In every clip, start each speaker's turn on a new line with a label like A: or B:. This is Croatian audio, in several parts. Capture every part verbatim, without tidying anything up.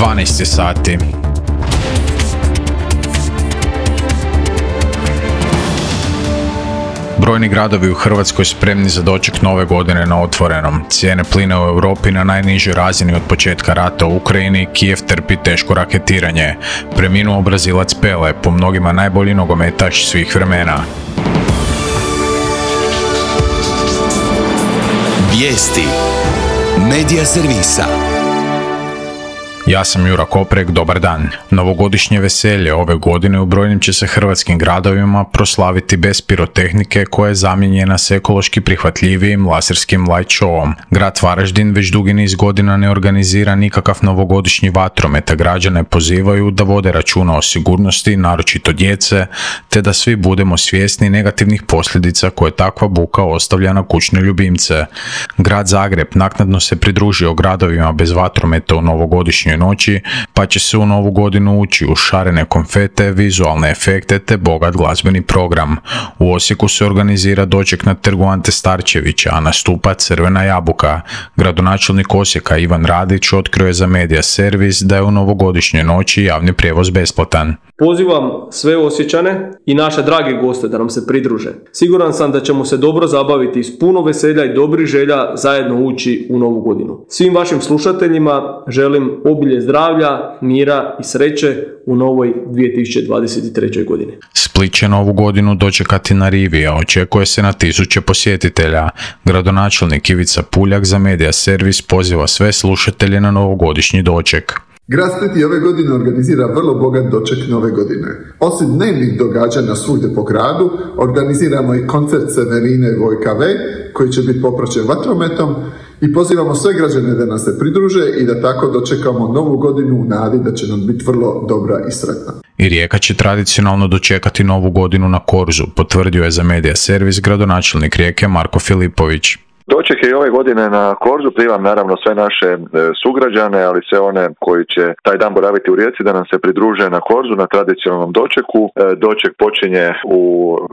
A: dvanaest sati. Brojni gradovi u Hrvatskoj spremni za doček nove godine na otvorenom. Cijene plina u Europi na najnižoj razini od početka rata u Ukrajini, Kijev trpi teško raketiranje. Preminuo Brazilac Pele, po mnogima najbolji nogometaš svih vremena.
B: Vijesti Medija servisa.
A: Ja sam Jura Koprek, dobar dan. Novogodišnje veselje ove godine u brojnim će se hrvatskim gradovima proslaviti bez pirotehnike koja je zamijenjena s ekološki prihvatljivijim laserskim light showom. Grad Varaždin već dugi niz godina ne organizira nikakav novogodišnji vatromet, a građane pozivaju da vode računa o sigurnosti, naročito djece, te da svi budemo svjesni negativnih posljedica koje takva buka ostavlja na kućne ljubimce. Grad Zagreb naknadno se pridružio gradovima bez vatrometa u novogodišnjoj noći, pa će se u novu godinu ući u šarene konfete, vizualne efekte te bogat glazbeni program. U Osijeku se organizira doček na trgu Ante Starčevića, a nastupa Crvena jabuka. Gradonačelnik Osijeka Ivan Radić otkrio je za Medija servis da je u novogodišnjoj noći javni prijevoz besplatan.
C: Pozivam sve Osječane i naše drage goste da nam se pridruže. Siguran sam da ćemo se dobro zabaviti s puno veselja i dobrih želja zajedno ući u novu godinu. Svim vašim slušateljima želim obilje zdravlja, mira i sreće u novoj dvije tisuće dvadeset trećoj godini.
A: Split će novu godinu dočekati na rivi, a očekuje se na tisuće posjetitelja. Gradonačelnik Ivica Puljak za Medija servis poziva sve slušatelje na novogodišnji doček.
D: Grad Split i ove godine organizira vrlo bogat doček nove godine. Osim dnevnih događanja svugdje po gradu, organiziramo i koncert Severine Vojka V, koji će biti popraćen vatrometom, i pozivamo sve građane da nas se pridruže i da tako dočekamo novu godinu u nadi da će nam biti vrlo dobra i sretna.
A: I Rijeka će tradicionalno dočekati novu godinu na Korzu, potvrdio je za Medija servis gradonačelnik Rijeke Marko Filipović.
E: Doček je i ove godine na Korzu, pozivam naravno sve naše e, sugrađane, ali sve one koji će taj dan boraviti u Rijeci da nam se pridruže na Korzu na tradicionalnom dočeku. E, doček počinje u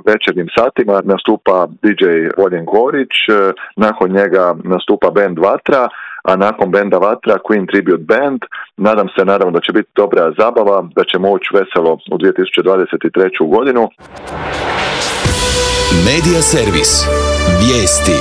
E: večernjim satima, nastupa D J Voljen Gorić, e, nakon njega nastupa band Vatra, a nakon benda Vatra Queen Tribute Band. Nadam se naravno da će biti dobra zabava, da ćemo ući veselo u dvije tisuće dvadeset treću godinu.
B: Medija servis. Vijesti.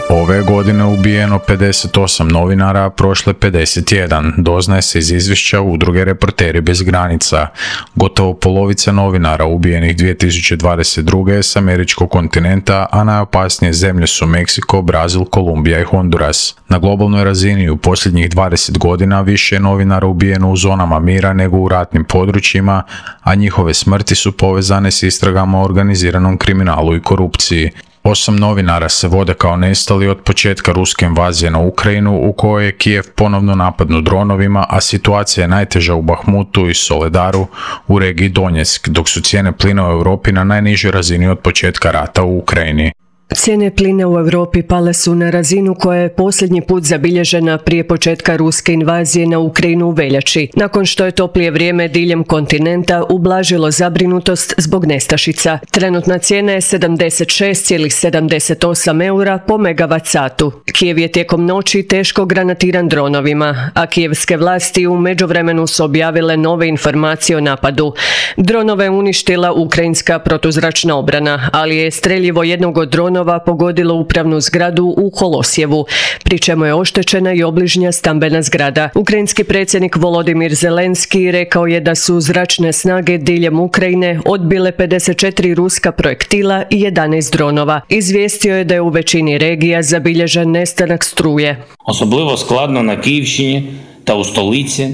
A: Ove godine ubijeno pedeset osam novinara, a prošle pedeset jedan, doznaje se iz izvješća udruge Reporteri bez granica. Gotovo polovica novinara ubijenih dvije tisuće dvadeset druge s američkog kontinenta, a najopasnije zemlje su Meksiko, Brazil, Kolumbija i Honduras. Na globalnoj razini u posljednjih dvadeset godina više je novinara ubijeno u zonama mira nego u ratnim područjima, a njihove smrti su povezane s istragama o organiziranom kriminalu i korupciji. Osam novinara se vode kao nestali od početka ruske invazije na Ukrajinu, u kojoj je Kijev ponovno napadnut dronovima, a situacija je najteža u Bahmutu i Soledaru u regiji Donjeck, dok su cijene plina u Europi na najnižoj razini od početka rata u Ukrajini.
F: Cijene plina u Europi pale su na razinu koja je posljednji put zabilježena prije početka ruske invazije na Ukrajinu u veljači, nakon što je toplije vrijeme diljem kontinenta ublažilo zabrinutost zbog nestašica. Trenutna cijena je sedamdeset šest zarez sedamdeset osam eura po megavat satu. Kijev je tijekom noći teško granatiran dronovima, a kijevske vlasti u međuvremenu su objavile nove informacije o napadu. Dronove je uništila ukrajinska protuzračna obrana, ali je streljivo jednog od dronova pogodilo upravnu zgradu u Holosjevu, pri čemu je oštećena i obližnja stambena zgrada. Ukrajinski predsjednik Volodimir Zelenski rekao je da su zračne snage diljem Ukrajine odbile pedeset četiri ruska projektila i jedanaest dronova. Izvijestio je da je u većini regija zabilježen nestanak struje.
G: Особливо складно на Київщині та у столиці.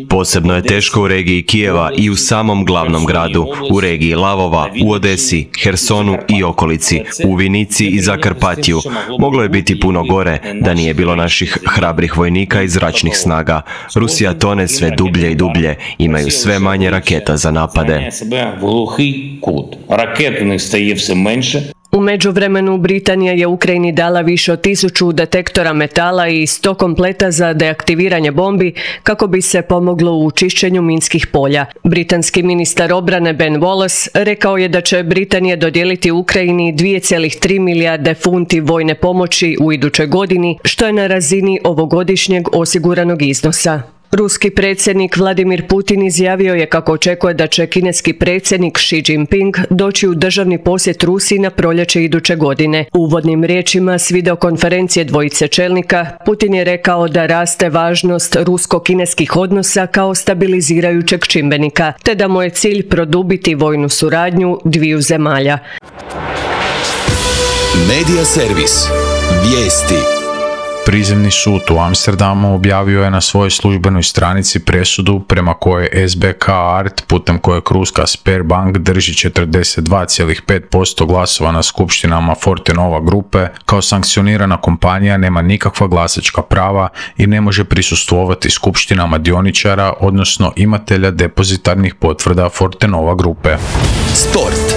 H: Posebno je teško u regiji Kijeva i u samom glavnom gradu, u regiji Lavova, u Odesi, Hersonu i okolici, u Vinici i Zakarpatiju. Moglo je biti puno gore da nije bilo naših hrabrih vojnika i zračnih snaga. Rusija tone sve dublje i dublje, imaju sve manje raketa za napade.
F: U međuvremenu Britanija je Ukrajini dala više od tisuću detektora metala i sto kompleta za deaktiviranje bombi kako bi se pomoglo u čišćenju minskih polja. Britanski ministar obrane Ben Wallace rekao je da će Britanija dodijeliti Ukrajini dvije zarez tri milijarde funti vojne pomoći u idućoj godini, što je na razini ovogodišnjeg osiguranog iznosa. Ruski predsjednik Vladimir Putin izjavio je kako očekuje da će kineski predsjednik Xi Jinping doći u državni posjet Rusiji na proljeće iduće godine. U uvodnim riječima s videokonferencije dvojice čelnika, Putin je rekao da raste važnost rusko-kineskih odnosa kao stabilizirajućeg čimbenika, te da mu je cilj produbiti vojnu suradnju dviju zemalja.
B: Medija servis. Vijesti.
A: Prizemni sud u Amsterdamu objavio je na svojoj službenoj stranici presudu prema kojoj S B K Art, putem kojeg ruska Sberbank drži četrdeset dva zarez pet posto glasova na skupštinama Fortenova grupe, kao sankcionirana kompanija nema nikakva glasačka prava i ne može prisustvovati skupštinama dioničara, odnosno imatelja depozitarnih potvrda Fortenova grupe.
B: Sport.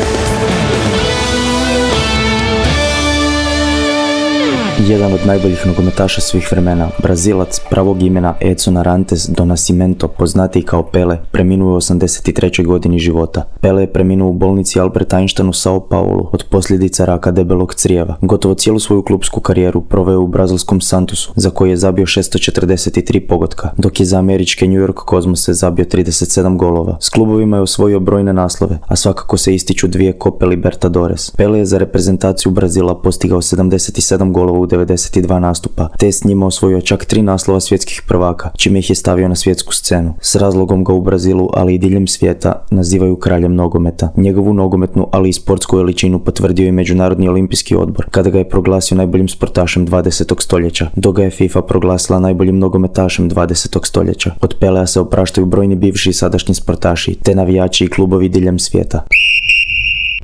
I: Jedan od najboljih nogometaša svih vremena, Brazilac pravog imena Edson Arantes do Nascimento, poznatiji kao Pele, preminuo je u osamdeset trećoj godini života. Pele je preminuo u bolnici Albert Einstein u Sao Paulu od posljedica raka debelog crijeva. Gotovo cijelu svoju klupsku karijeru proveo u brazilskom Santosu, za koji je zabio šesto četrdeset tri pogotka, dok je za američke New York Cosmose zabio trideset sedam golova. S klubovima je osvojio brojne naslove, a svakako se ističu dvije Cope Libertadores. Pele je za reprezentaciju Brazila postigao sedamdeset sedam golova u devedeset dva nastupa, te je s njima osvojio čak tri naslova svjetskih prvaka, čime ih je stavio na svjetsku scenu. S razlogom ga u Brazilu, ali i diljem svijeta, nazivaju kraljem nogometa. Njegovu nogometnu, ali i sportsku veličinu potvrdio je Međunarodni olimpijski odbor, kada ga je proglasio najboljim sportašem dvadesetog stoljeća, dok ga je FIFA proglasila najboljim nogometašem dvadesetog stoljeća. Od Pelea se opraštaju brojni bivši i sadašnji sportaši, te navijači i klubovi diljem svijeta.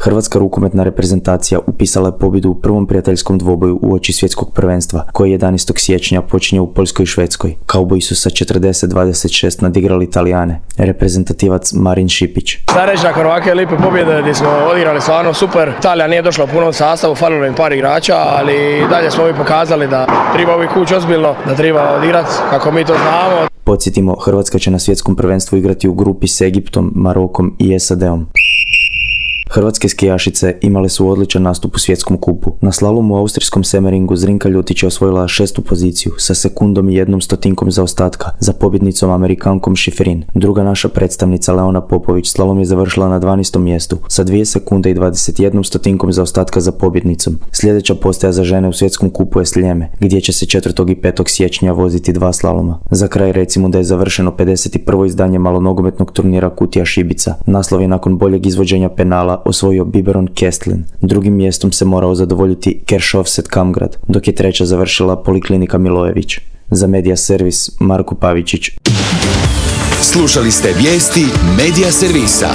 I: Hrvatska rukometna reprezentacija upisala je pobjedu u prvom prijateljskom dvoboju uoči svjetskog prvenstva, koji jedanaestog siječnja počinje u Poljskoj i Švedskoj. Kauboji su sa četrdeset dvadeset šest nadigrali Italijane. Reprezentativac Marin Šipić.
J: Šta reći nakon ovakve lipe pobjede gdje smo odigrali stvarno super. Italija nije došla u punom sastavu, falilo im par igrača, ali dalje smo mi pokazali da treba uvijek ući ozbiljno, da treba odigrati kako mi to znamo.
I: Podsjetimo, Hrvatska će na svjetskom prvenstvu igrati u grupi s Egiptom, Marokom i S A D-om. Hrvatske skijašice imale su odličan nastup u svjetskom kupu. Na slalomu u austrijskom Semeringu Zrinka Ljutić je osvojila šestu poziciju sa sekundom i jednom stotinkom zaostatka za pobjednicom Amerikankom Šiferin. Druga naša predstavnica Leona Popović slalom je završila na dvanaestom mjestu sa dvije sekunde i dvadeset jednom stotinkom zaostatka za pobjednicom. Sljedeća postaja za žene u svjetskom kupu je Sljeme, gdje će se četvrtog i petog siječnja voziti dva slaloma. Za kraj recimo da je završeno pedeset prvo izdanje malonogometnog turnira Kutija Šibica. Naslov je nakon boljeg izvođenja penala osvojio Biberon Kestlin. Drugim mjestom se morao zadovoljiti Keršovset Kamgrad, dok je treća završila Poliklinika Milojević. Za Medija servis Marko Pavičić.
B: Slušali ste vijesti Medija servisa.